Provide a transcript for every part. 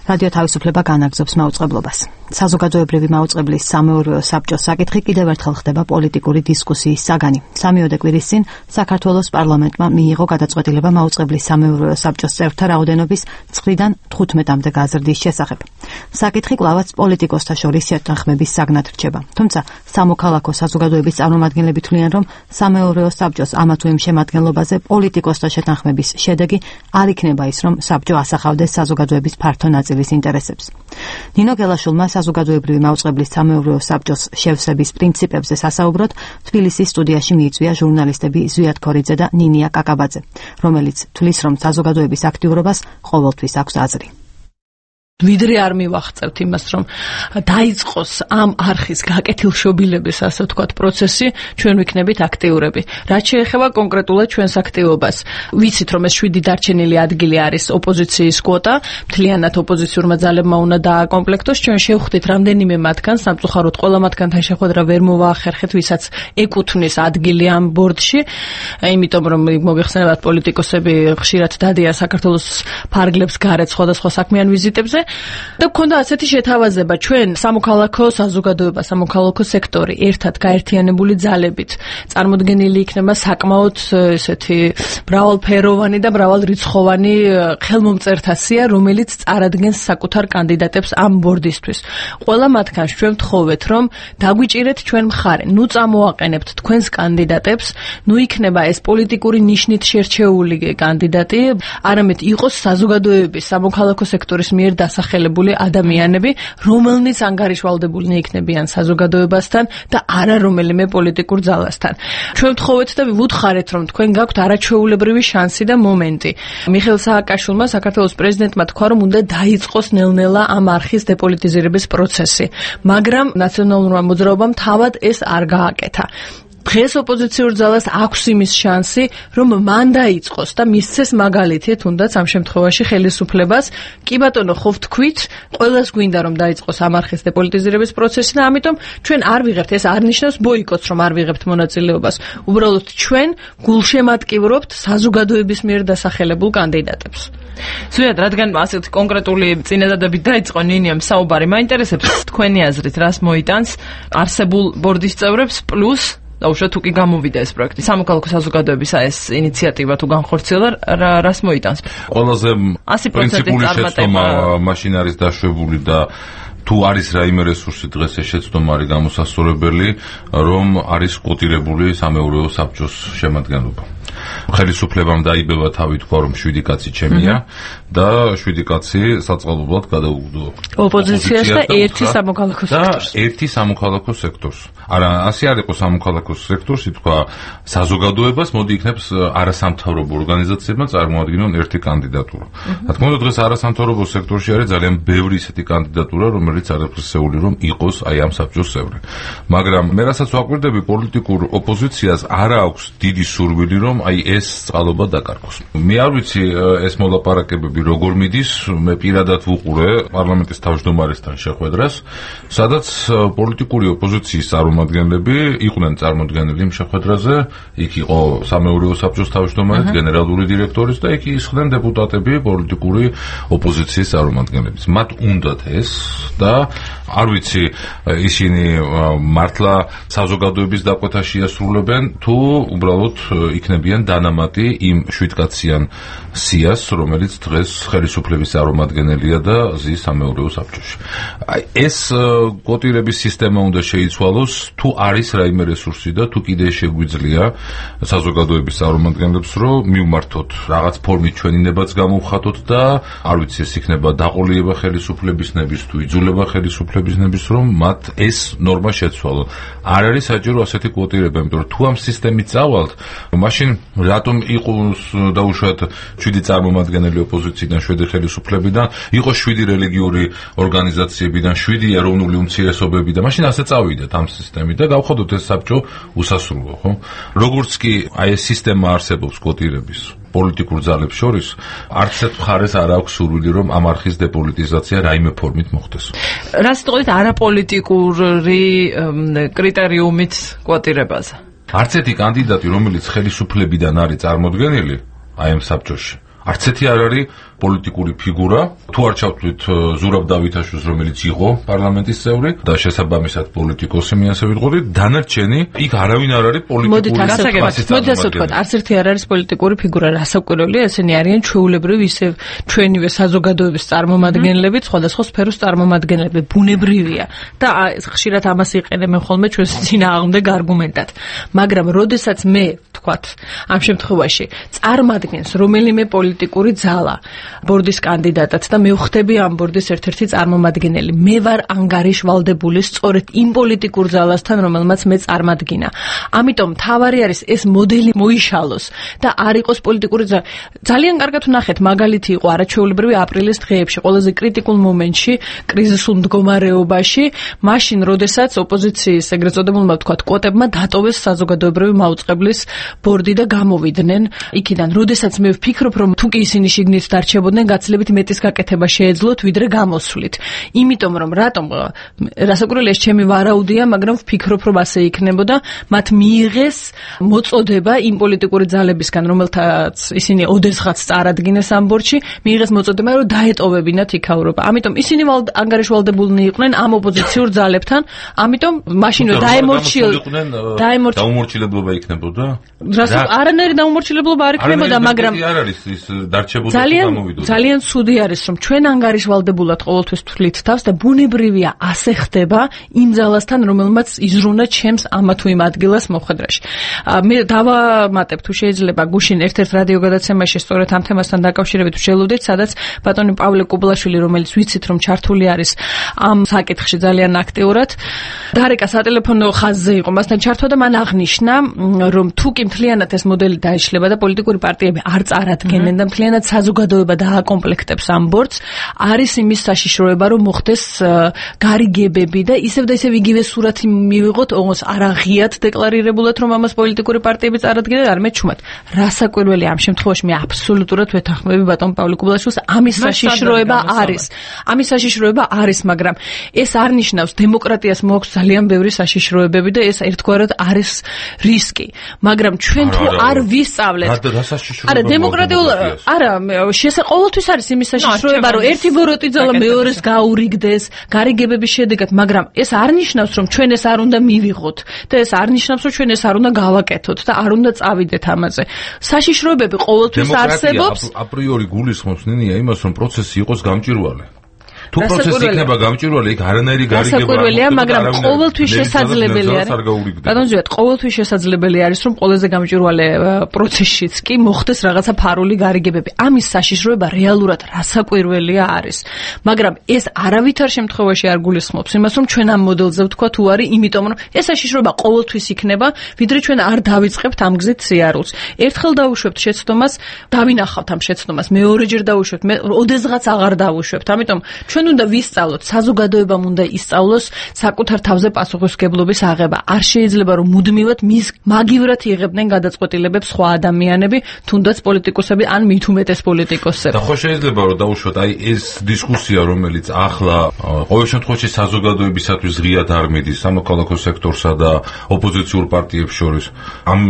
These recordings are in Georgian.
რადიო თავისუფლება განაგრძობს მაუწყებლობას. საზოგადოებრივი მაუწყებლის სამეურვეო საბჭოს საკითხი კიდევ ერთხელ ხდება პოლიტიკური დისკუსიის საგანი. 3 კვირის წინ საქართველოს პარლამენტმა მიიღო გადაწყვეტილება მაუწყებლის სამეურვეო საბჭოს წევრთა რაოდენობის 9-დან 15-მდე გაზრდის შესახებ. საკითხი კვლავაც პოლიტიკოსთა შორის შეთანხმების საგნად რჩება. თუმცა სამოქალაქო საზოგადოების წარმომადგენლები თვლიან, რომ სამეურვეო საბჭოს ამა თუ იმ შემადგენლობაზე პოლიტიკოსთა შეთანხმების შედეგი არ იქნება ის, რომ საბჭო ასახავდეს საზოგადოების ფართო ნაწილის ინტერესებს. ნინო გელაშვილმა საზოგადოებრივი მაუწყებლის სამეურვეო საბჭოს შევსების პრინციპებზე სასაუბროდ თბილისის სტუდიაში მიიწვია ჟურნალისტები ზვიად ქორიძე და ნინია კაკაბაძე, რომელიც თვლის, რომ საზოგადოების აქტიურობას ყოველთვის აქვს აზრი. ვიდრე არ მივახცევთ იმას, რომ დაიწყოს ამ არხის გაკეთილშობილების, ასე ვთქვათ, პროცესი, ჩვენ ვიქნებით აქტიურები. რაც შეეხება კონკრეტულად ჩვენს აქტივობას, ვიცით, რომ ეს 7 დარჩენილი ადგილი არის ოპოზიციის კვოტა, მთლიანად ოპოზიციურმა ძალებმა უნდა დააკომპლექტოს, ჩვენ შევხვდით რამდენიმე მათგანს, სამწუხაროდ ყველა მათგანთან შეხვედრა ვერ მოვაახერხეთ, ვისაც ეკუთვნის ადგილი ამ ბორდში, იმიტომ რომ მოგეხსენებათ, პოლიტიკოსები ხშირად დადიან საქართველოს ფარგლებს გარეთ სხვადასხვა საქმიან ვიზიტებზე. და გქონდა ასეთი შეთავაზება, ჩვენ სამოქალაქო საზოგადოება, სამოქალაქო სექტორი ერთად გაერთიანებული ძალებით წარმოდგენილი იქნება საკმაოდ ესეთი მრავალფეროვანი და მრავალრიცხოვანი ხელმომწერთა სია, რომელიც წარადგენს საკუთარ კანდიდატებს ამ ბორდისთვის. ყველა მათგანს ჩვენ ვთხოვეთ, რომ დაგვიჭირეთ ჩვენ მხარე, ნუ წამოაყენებთ თქვენს კანდიდატებს, ნუ იქნება ეს პოლიტიკური ნიშნით შერჩეული კანდიდატი, არამედ იყოს საზოგადოების, სამოქალაქო სექტორის მიერ დასახელებული ადამიანები, რომელნიც ანგარიშვალდებულნი იქნებიან საზოგადოებასთან და არა რომელიმე პოლიტიკურ ძალასთან. ჩვენ ვთხოვეთ და ვუთხარეთ, რომ თქვენ გაქვთ არაჩვეულებრივი შანსი და მომენტი. მიხეილ სააკაშვილმა, საქართველოს პრეზიდენტმა თქვა, რომ უნდა დაიწყოს ნელ-ნელა ამ არხის დეპოლიტიზირების პროცესი, მაგრამ ნაციონალურმა მოძრაობამ თავად ეს არ გააკეთა. დღეს ოპოზიციურ ძალას აქვს იმის შანსი, რომ მან დაიწყოს და მისცეს მაგალითი, თუნდაც ამ შემთხვევაში ხელისუფლებას. კი ბატონო, ხო ვთქვით, ყველას გვინდა რომ დაიწყოს ამ არხის დეპოლიტიზირების პროცესი და ამიტომ ჩვენ არ ვიღებთ, ეს არ ნიშნავს ბოიკოტს, რომ არ ვიღებთ მონაწილეობას. უბრალოდ ჩვენ გულშემატკივრობთ საზოგადოების მიერ დასახელებულ კანდიდატებს. ზუსტად, რადგან ასეთი კონკრეტული წინადადებით დაიწყო ნინიამ საუბარი, მაინტერესებს თქვენი აზრით, რას მოიტანს არსებულ ბორდის წევრებს პლუს დაუშვათ თუ კი გამოვიდა ეს პროექტი. სამოქალაქო საზოგადოების ეს ინიციატივა თუ განხორციელდა, რას მოიტანს? ყველაზე პრინციპული შეცდომა მაშინ არის დაშვებული და თუ არის რაიმე რესურსი დღეს ეს შეცდომა არის გამოსასწორებელი, რომ არის კვოტირებული სამეურვეო საბჭოს შემადგენლობა. ხელისუფლებამ დაიბევა თავი თქვა, რომ 7 კაცი ჩემია და 7 კაცი საწყალობად გადაუგდო ოპოზიციას და ერთი სამოქალაქო სექტორს. ერთი სამოქალაქო სექტორს. არა, ასე არ იყო სამოქალაქო სექტორს, ითქვა საზოგადოებას, მოდი იქნებს არასამთავრობო ორგანიზაციებმა წარმოადგინონ ერთი კანდიდატურა. რა თქმა უნდა, დღეს არასამთავრობო სექტორში არის ძალიან ბევრი ისეთი კანდიდატურა, რომელიც არაფრისეული რომ იყოს აი ამ საბჭოს წევრი. მაგრამ მე რასაც ვაკვირდები, პოლიტიკურ ოპოზიციას არ აქვს დიდი სურვილი, რომ აი ეს წყალობა დაკარგოს. მე არ ვიცი ეს მოლაპარაკებები როგორ მიდის, მე პირადად ვუყურე პარლამენტის თავმჯდომარესთან შეხვედრას, სადაც პოლიტიკური ოპოზიციის წარმომადგენლები იყვნენ წარმოდგენილი იმ შეხვედრაზე, იქ იყო სამეურვეო საბჭოს თავმჯდომარე, გენერალური დირექტორის და იქ ისხდნენ დეპუტატები პოლიტიკური ოპოზიციის წარმომადგენლებიც. მათ უნდათ ეს და არ ვიცი ისინი მართლა საზოგადოების დაკვეთაში ასრულებენ თუ უბრალოდ იქნებიან დანამატი იმ 7-კაციან სიას, რომელიც დღეს ხელისუფლების წარმომადგენელია და ზის სამეურვეო საბჭოში. ეს კვოტირების სისტემა უნდა შეიცვალოს, თუ არის რაიმე რესურსი და თუ კიდე შეგვიძლია საზოგადოების წარმომადგენლებს რომ მივმართოთ რაღაც ფორმით ჩვენი ნებაც გამოვხატოთ და არ ვიცი ეს იქნება დაყოლიება ხელისუფლებისნების თუ იძულება ხელისუფლებისნების რომ მათ ეს ნორმა შეცვალონ. არ არის საჭირო ასეთი კვოტირება, იმიტომ რომ თუ ამ სისტემით წავალთ, მაშინ რატომ იყოს დაუშვათ 7 წარმომადგენელი ოპოზიციიდან, 7 ხელისუფლებიდან, იყო 7 რელიგიური ორგანიზაციებიდან, 7 ეროვნული უმცირესობებიდან, მაშინ ასე წავიდეთ ამ სისტემით და გავხადოთ ეს საბჭო უსასრულო, ხო? როგორც კი აი ეს სისტემა არსებობს კვოტირების პოლიტიკურ ძალებს შორის, არც ერთ მხარეს არ აქვს სურვილი, რომ ამ არხის დეპოლიტიზაცია რაიმე ფორმით მოხდეს. რას თქოს არაპოლიტიკური კრიტერიუმით კვოტირებაზე? არც ერთი კანდიდატი, რომელიც ხელისუფლებიდან არის წარმოდგენილი, აი ამ საბჭოში, არც ერთი არ არის პოლიტიკური ფიგურა, თუ არ ჩავთვლით ზურაბ დავითაშვილს, რომელიც იყო პარლამენტის წევრი და შესაბამისად პოლიტიკოსი, მე ასე ვიტყოდი, დანარჩენი იქ არავინ არ არის პოლიტიკური მოდით ასე ვთქვათ, არც ერთი არ არის პოლიტიკური ფიგურა, რასაკვირველია, ესენი არიან ჩვეულებრივი ისევ ჩვენივე საზოგადოების წარმომადგენლები, სხვადასხვა სფეროს წარმომადგენლები, ბუნებრივია და ხშირად ამას იყენებენ ხოლმე ჩვენს წინააღმდეგ არგუმენტად. მაგრამ როდესაც მე ვთქვათ, ამ შემთხვევაში წარმადგენს რომელიმე პოლიტიკური ძალა ბორდის კანდიდატად და მე ვხდები ამ ბორდის ერთ-ერთი წარმომადგენელი. მე ვარ ანგარიშვალდებული სწორედ იმ პოლიტიკურ ძალასთან, რომელმაც მე წარმადგინა. ამიტომ თავარი არის ეს მოდელი მოიშალოს და არ იყოს პოლიტიკური ძალა. ძალიან კარგად ვნახეთ, მაგალითი იყო არაჩვეულებრივი აპრილის დღეებში, ყველაზე კრიტიკულ მომენტში, კრიზისულ მდგომარეობაში, მაშინ, როდესაც ოპოზიციის ეგრეთ წოდებულმა ვთქვათ, კვოტებმა დატოვეს საზოგადოებრივი მაუწყებლის ბორდი და გამოვიდნენ იქიდან. როდესაც მე ვფიქრობ, რომ თუ კი ისინი შიგნით დარჩებოდნენ, გაცილებით მეტის გაკეთება შეეძლოთ, ვიდრე გამოსვლით. იმიტომ რომ რატომ რასაკვირველია, ჩემი ვარაუდია, მაგრამ ვფიქრობ, რომ ასე იქნებოდა, მათ მიიღეს მოწოდება იმ პოლიტიკური ძალებისგან, რომელთაც ისინი ოდესღაც წარადგინეს ამ ბორდში, მიიღეს მოწოდება, რომ დაეტოვებინათ იქაურობა. ამიტომ ისინი ანგარიშვალდებულნი იყვნენ ამ ოპოზიციურ ძალებთან, ამიტომ მაშინვე დაუმორჩილებლობა იქნებოდა? არანაირი დაუმორჩილებლობა არ იქნებოდა, მაგრამ არ არის ის დარჩებოდა თუ გამოვიდოდა. ძალიან ცუდი არის, რომ ჩვენ ანგარიშვალდებულად ყოველთვის თვლით თავს და ბუნებრივია ასე ხდება იმ ძალასთან, რომელმაც იზრუნა ჩემს ამა თუ იმ ადგილას მოხვედრაში. მე დავამატებ თუ შეიძლება გუშინ ერთ-ერთ რადიო გადაცემაში სწორედ ამ თემასთან დაკავშირებით ვშელოდით, სადაც ბატონი პავლე კუბლაშვილი, რომელიც ვიცით რომ ჩართული არის ამ საკითხში ძალიან აქტიურად, დარეკა სატელეფონო ხაზზე იყო მასთან ჩართვა და მან აღნიშნა, რომ თუ კი მთლიანად ეს მოდელი დაიშლება და პოლიტიკური პარტიები არ წარადგენენ და მთლიანად საზოგადოება დააკომპლექტებს ამ ბორდს, არის იმის საშიშროება, რომ მოხდეს გარიგებები და ისევ იგივე სურათი მივიღოთ, ოღონდ არ აღიათ დეკლარირებულად, რომ ამას პოლიტიკური პარტიები წარადგენენ, არ მეჩუმად. რასაკვირველია, ამ შემთხვევაში მე აბსოლუტურად ვეთანხმები ბატონ პავლე კუბლაშვილს, ამის საშიშროება არის. ამის საშიშროება არის, მაგრამ ეს არ ნიშნავს დემოკრატიას მოაქვს ძალიან ბევრი საშიშროებები და ეს ერთგვარად არის რისკი. მაგრამ ჩვენ თუ არ ვისწავლეთ, არა დემოკრატიულ, არა, ყოველთვის არის იმის საშიშროება, რომ ერთი ბოროტი ძალა მეორეს გაურიგდეს გარიგებების შედეგად, მაგრამ ეს არ ნიშნავს, რომ ჩვენ ეს არ უნდა მივიღოთ და ეს არ ნიშნავს, რომ ჩვენ ეს არ უნდა გავაკეთოთ და არ უნდა წავიდეთ ამაზე. საშიშროებები ყოველთვის არსებობს. აპრიორი გულისხმობს ნინია იმას, რომ პროცესი იყოს გამჭვირვალე. თუ პროცესი იქნება გამჭვირვალე, იქ არანაირი გარიგება რასაკვირველია, მაგრამ ყოველთვის შესაძლებელი არის. ბატონ ზვიად, ყოველთვის შესაძლებელი არის, რომ ყველაზე გამჭვირვალე პროცესშიც კი მოხდეს რაღაცა ფარული გარიგებები. ამის საშიშროება რეალურად რასაკვირველია არის. მაგრამ ეს არავითარ შემთხვევაში არ გულისხმობს იმას, რომ ჩვენ ამ მოდელზე ვთქვა თუ არის, იმიტომ რომ ეს საშიშროება ყოველთვის იქნება, ვიდრე ჩვენ არ დავიწყებთ ამ გზით სიარულს. ერთხელ დავუშვებთ შეცდომას, დავინახავთ ამ შეცდომას, მეორეჯერ დავუშვებთ, მე ოდესღაც აღარ დავუშვებთ. ამიტომ ჩვენ უნდა ვისწავლოთ, საზოგადოებამ უნდა ისწავლოს საკუთარ თავზე პასუხისმგებლობის აღება. არ შეიძლება რომ მუდმივად მის მაგივრად იღებდნენ გადაწყვეტილებებს სხვა ადამიანები, თუნდაც პოლიტიკოსები ან მით უმეტეს პოლიტიკოსები. და ხო შეიძლება რომ დავუშვათ, აი ეს დისკუსია, რომელიც ახლა ყოველ შემთხვევაში საზოგადოებისათვის ღიად არ მიდის სამოქალაქო სექტორსა და ოპოზიციურ პარტიებს შორის. ამ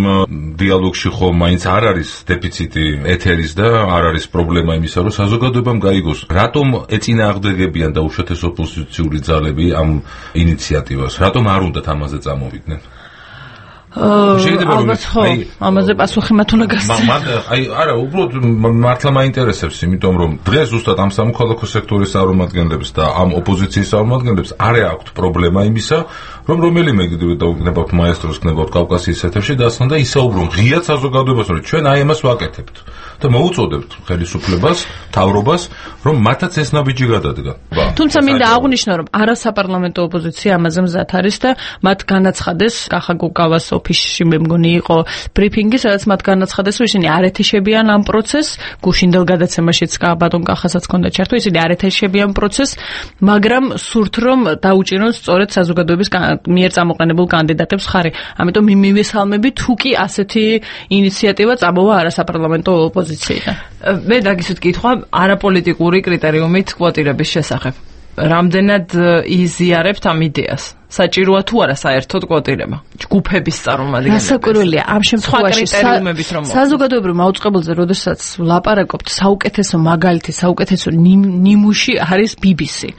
დიალოგში ხო მაინც არ არის დეფიციტი ეთერის და არ არის პრობლემა იმისა, რომ საზოგადოებამ გაიგოს, რატომ ეწინააღმდეგებიან და უშუალოდ ოპოზიციური ძალები ამ ინიციატივას. რატომ არ უნდათ ამაზე წამოვიდნენ? ალბათ ხო, ამაზე პასუხი მათ უნდა გასცენ. არა, უბრალოდ მართლა მაინტერესებს, იმიტომ რომ დღეს ზუსტად ამ სამოქალაქო სექტორის წარმომადგენლებს და ამ ოპოზიციის წარმომადგენლებს არ აქვთ პრობლემა იმისა, რომ რომელიმე გნებავთ მაესტროს, გნებავთ კავკასიის ეთერში დასწრონ და ისაუბრონ ღიად საზოგადოებას, რომ ჩვენ აი ამას ვაკეთებთ და მოუწოდებთ ხელისუფლებას, მთავრობას, რომ მათაც ეს ნაბიჯი გადადგა. თუმცა მინდა აღვნიშნო, რომ არასაპარლამენტო ოპოზიცია ამაზე მზად არის და მათ განაცხადეს კახა გუკავას ოფისში მე მგონი იყო ბრიფინგი, სადაც მათ განაცხადეს, რომ ისინი არ ეთიშებიან ამ პროცესს, გუშინდელ გადაცემაშიც ბატონ კახასაც ჰქონდა ჩართვა, ისინი არ ეთიშებიან პროცესს, მაგრამ სურთ რომ დაუჭირონ სწორედ საზოგადოების მიერ წამოყენებულ კანდიდატებს ხარი. ამიტომ მივესალმები, თუ კი ასეთი ინიციატივა წამოვა არასაპარლამენტო ოპოზიციიდან. მე დაგისვით კითხვა არაპოლიტიკური კრიტერიუმით კვოტირების შესახებ. რამდენად იზიარებთ ამ იდეას? საჭიროა თუ არა საერთოდ კვოტირება ჯგუფების წარმომადგენლები. გასაკვირველია ამ შემთხვევაში საზოგადოებრივ მაუწყებელზე როდესაც ვლაპარაკობთ საუკეთესო მაგალითი, საუკეთესო ნიმუში არის BBC.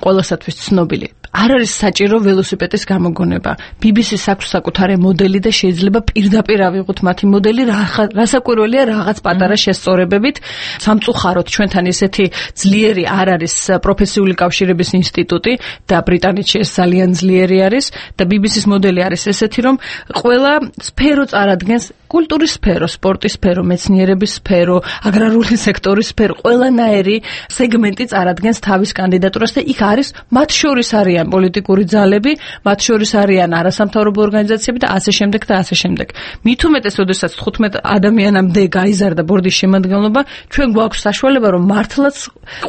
ყველასათვის ცნობილი. არ არის საჭირო ველოსიპედის გამოგონება. BBC-ს აქვს საკუთარი მოდელი და შეიძლება პირდაპირ ავიღოთ მათი მოდელი, რასაკვირველია რაღაც პატარა შესწორებებით. სამწუხაროდ ჩვენთან ესეთი ძლიერი არ არის პროფესიული კავშირების ინსტიტუტი და ბრიტანეთში ეს ძალიან ძლიერი არის და BBC-ს მოდელი არის ესეთი, რომ ყველა სფერო წარადგენს კულტურის სფერო, სპორტის სფერო, მეცნიერების სფერო, აგრარული სექტორის სფერო, ყველანაირი სეგმენტი წარადგენს თავის კანდიდატურას და იქ არის მათ შორის არიან პოლიტიკური ძალები, მათ შორის არიან არასამთავრობო ორგანიზაციები და ასე შემდეგ და ასე შემდეგ. მით უმეტეს, როდესაც 15 ადამიანამდე გაიზარდა ბორდის შემადგენლობა, ჩვენ გვაქვს საშუალება, რომ მართლაც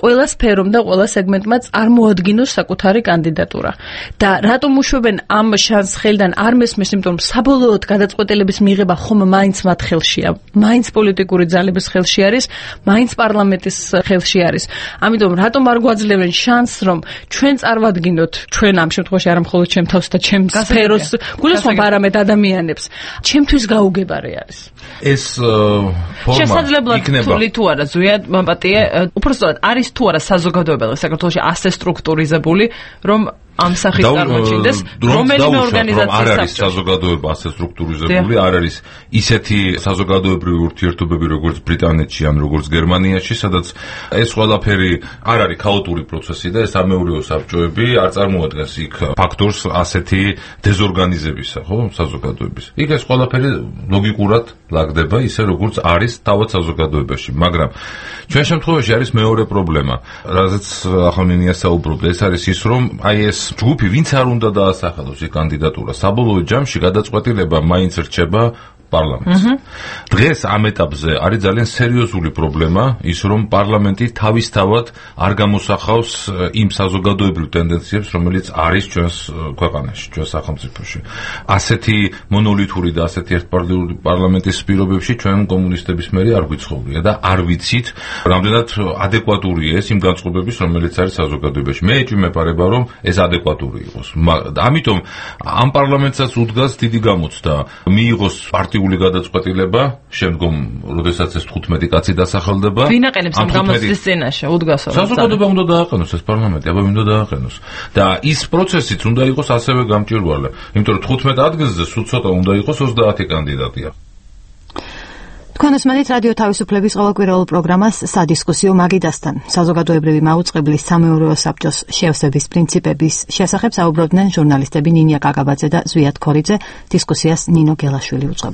ყველა სფერომ და ყველა სეგმენტმა წარმოადგინოს საკუთარი კანდიდატურა. და რატომ უშვებენ ამ შანსს ხელიდან არ მესმის, იმიტომ რომ საბოლოოდ გადაწყვეტილების მიღება ხომ მაინც მათ ხელშია, მაინც პოლიტიკური ძალების ხელში არის, მაინც პარლამენტის ხელში არის. ამიტომ რატომ არ გვაძლევენ შანსს, რომ ჩვენ წარმოვადგინოთ, ჩვენ ამ შემთხვევაში არა მხოლოდ ჩემ თავს და ჩემ სფეროს გულისხმობ, არამედ ადამიანებს, ჩემთვის გაუგებარი არის. ეს ფორმა შესაძლებლად თვლი თუ არა, ზვიად მაპატიე, უпростоად არის თუ არა საზოგადოებრივი საქართველოში ასე სტრუქტურიზებული, რომ ამ სახის წარმოჩინდეს რომელიმე ორგანიზაციის არ არის საზოგადოება ასე სტრუქტურიზებული, არ არის ისეთი საზოგადოებრივი ურთიერთობები როგორც ბრიტანეთში ან როგორც გერმანიაში, სადაც ეს ყველაფერი არ არის ქაოტური პროცესი და ეს ამეურეო საბჭოები არ წარმოადგენს იქ ფაქტორს ასეთი დეზორგანიზებისა, ხო, საზოგადოების. იქ ეს ყველაფერი ლოგიკურად ლაგდება ისე როგორც არის თავად საზოგადოებაში, მაგრამ ჩვენ შემთხვევაში არის მეორე პრობლემა, რაზეც ახლა მინია საუბრობდა, ეს არის ის, რომ აი ეს ჯგუფი ვინც არ უნდა დაასახელოს ეს კანდიდატურა, საბოლოო ჯამში გადაწყვეტილება მაინც რჩება პარლამენტს. დღეს ამ ეტაპზე არის ძალიან სერიოზული პრობლემა ის, რომ პარლამენტი თავისთავად არ გამოსახავს იმ საზოგადოებრივ ტენდენციებს, რომელიც არის ჩვენს ქვეყანაში, ჩვენს სახელმწიფოში. ასეთი მონოლითური და ასეთი ერთპარტიული პარლამენტის პირობებში ჩვენ კომუნისტების მერე არ გვიცხოვრია და არ ვიცით, რამდენად ადეკვატურია ეს იმ განწყობების, რომელიც არის საზოგადოებაში. მე ეჭვმეპარება, რომ ეს ადეკვატური იყოს. ამიტომ ამ პარლამენტსაც უდგას დიდი გამოცდა მიიღოს პარტიული გადაწყვეტილება, შემდგომ, როდესაც ეს 15 კაცი დასახელდება. ვინ აყენებს ამ გამოცდის წინაშე? უდგასო. საზოგადოება უნდა დააყენოს ეს პარლამენტი, აბა უნდა დააყენოს. და ის პროცესიც უნდა იყოს ასევე გამჭვირვალე. იმიტომ რომ 15 ადგილზე სულ ცოტა უნდა იყოს 30 კანდიდატია. თქვენ უსმენთ რადიო თავისუფლების ყოველკვირეულ პროგრამას სადისკუსიო მაგიდასთან. საზოგადოებრივი მაუწყებლის სამეურვეო საბჭოს შევსების პრინციპების შესახებ საუბრობდნენ ჟურნალისტები ნინია კაკაბაძე და ზვიად ქორიძე. დისკუსიას ნინო გელაშვილი უწყებოდა.